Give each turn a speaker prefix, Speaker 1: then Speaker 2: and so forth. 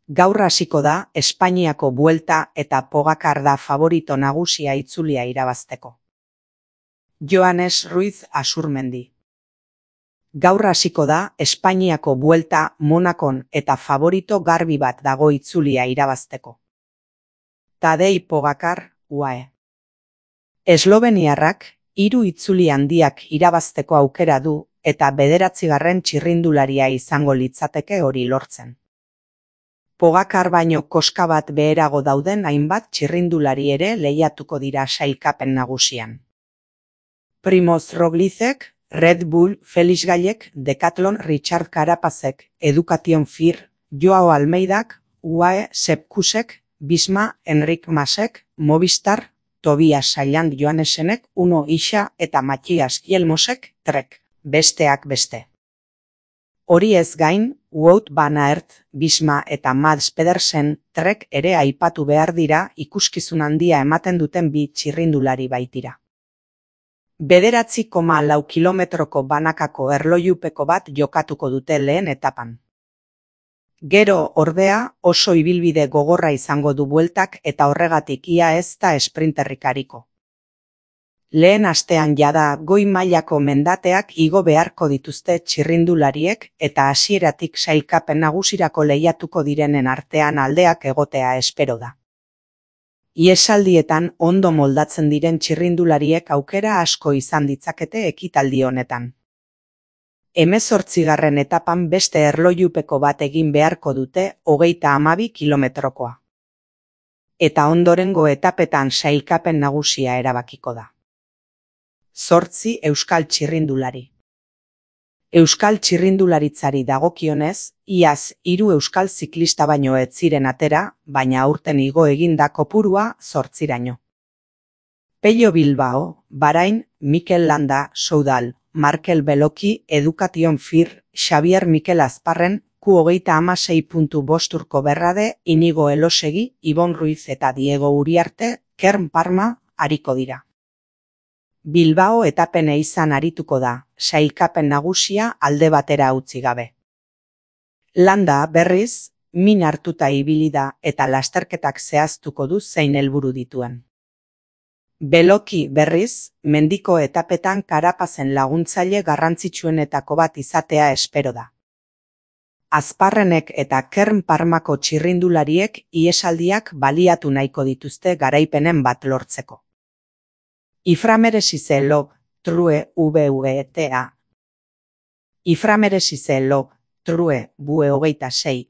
Speaker 1: Gaur hasiko da Espainiako Buelta eta Pogacar da favorito nagusia itzulia irabazteko. Joanes Ruiz Asurmendi. Gaur hasiko da Espainiako Buelta Monakon eta favorito garbi bat dago itzulia irabazteko. Tadej Pogacar, UAE. Esloveniarrak 3 itzuli handiak irabazteko aukera du eta 9. txirrindularia izango litzateke hori lortzen. Pogacar baino koska bat beherago dauden hainbat txirrindulari ere lehiatuko dira sailkapen nagusian. Primoz Roglicek, Red Bull, Felix Gallek, Decathlon, Richard Carapazek, Education Fir, Joao Almeidak, UAE, Sepkusek, Bisma, Enric Masek, Movistar, Tobias Sailand Joanesenek, Uno Ixa eta Matthias Yelmosek, Trek, besteak beste. Hori ez gain, Wout van Aert, Bisma eta Mads Pedersen, Trek ere aipatu behar dira ikuskizun handia ematen duten 2 txirrindulari baitira. 9,4 kilometroko banakako erlojupeko bat jokatuko dute lehen etapan. Gero, ordea, oso ibilbide gogorra izango du bueltak eta horregatik ia ez da esprinterrik ariko. Lehen astean jada goi mailako mendateak igo beharko dituzte txirrindulariek eta hasieratik sailkapen nagusirako lehiatuko direnen artean aldeak egotea espero da. Iesaldietan ondo moldatzen diren txirrindulariek aukera asko izan ditzakete ekitaldi honetan. 18. etapan beste erlojupeko bat egin beharko dute 32 kilometrokoa. Eta ondorengo etapetan sailkapen nagusia erabakiko da. 8 euskal txirrindulari. Euskal txirrindularitzari dagokionez, iaz 3 euskal ziklista baino ez ziren atera, baina aurten igo eginda kopurua 8raino. Pello Bilbao, Bahrain, Mikel Landa, Soudal, Markel Beloki, Education Fir, Xavier Mikel Azparren, Q36.5 Urko Berrade, Inigo Elosegi, Ibon Ruiz eta Diego Uriarte, Kern Parma, ariko dira. Bilbao etapene izan arituko da, sailkapen nagusia alde batera utzi gabe. Landa, berriz, min hartuta ibili da eta lasterketak zehaztuko du zein helburu dituen. Beloki, berriz, mendiko etapetan Carapazen laguntzaile garrantzitsuenetako bat izatea espero da. Azparrenek eta Kern Parmako txirrindulariek iesaldiak baliatu nahiko dituzte garaipenen bat lortzeko. Iframeresize Log, True, VVTA. Iframeresize Log, True, VE26,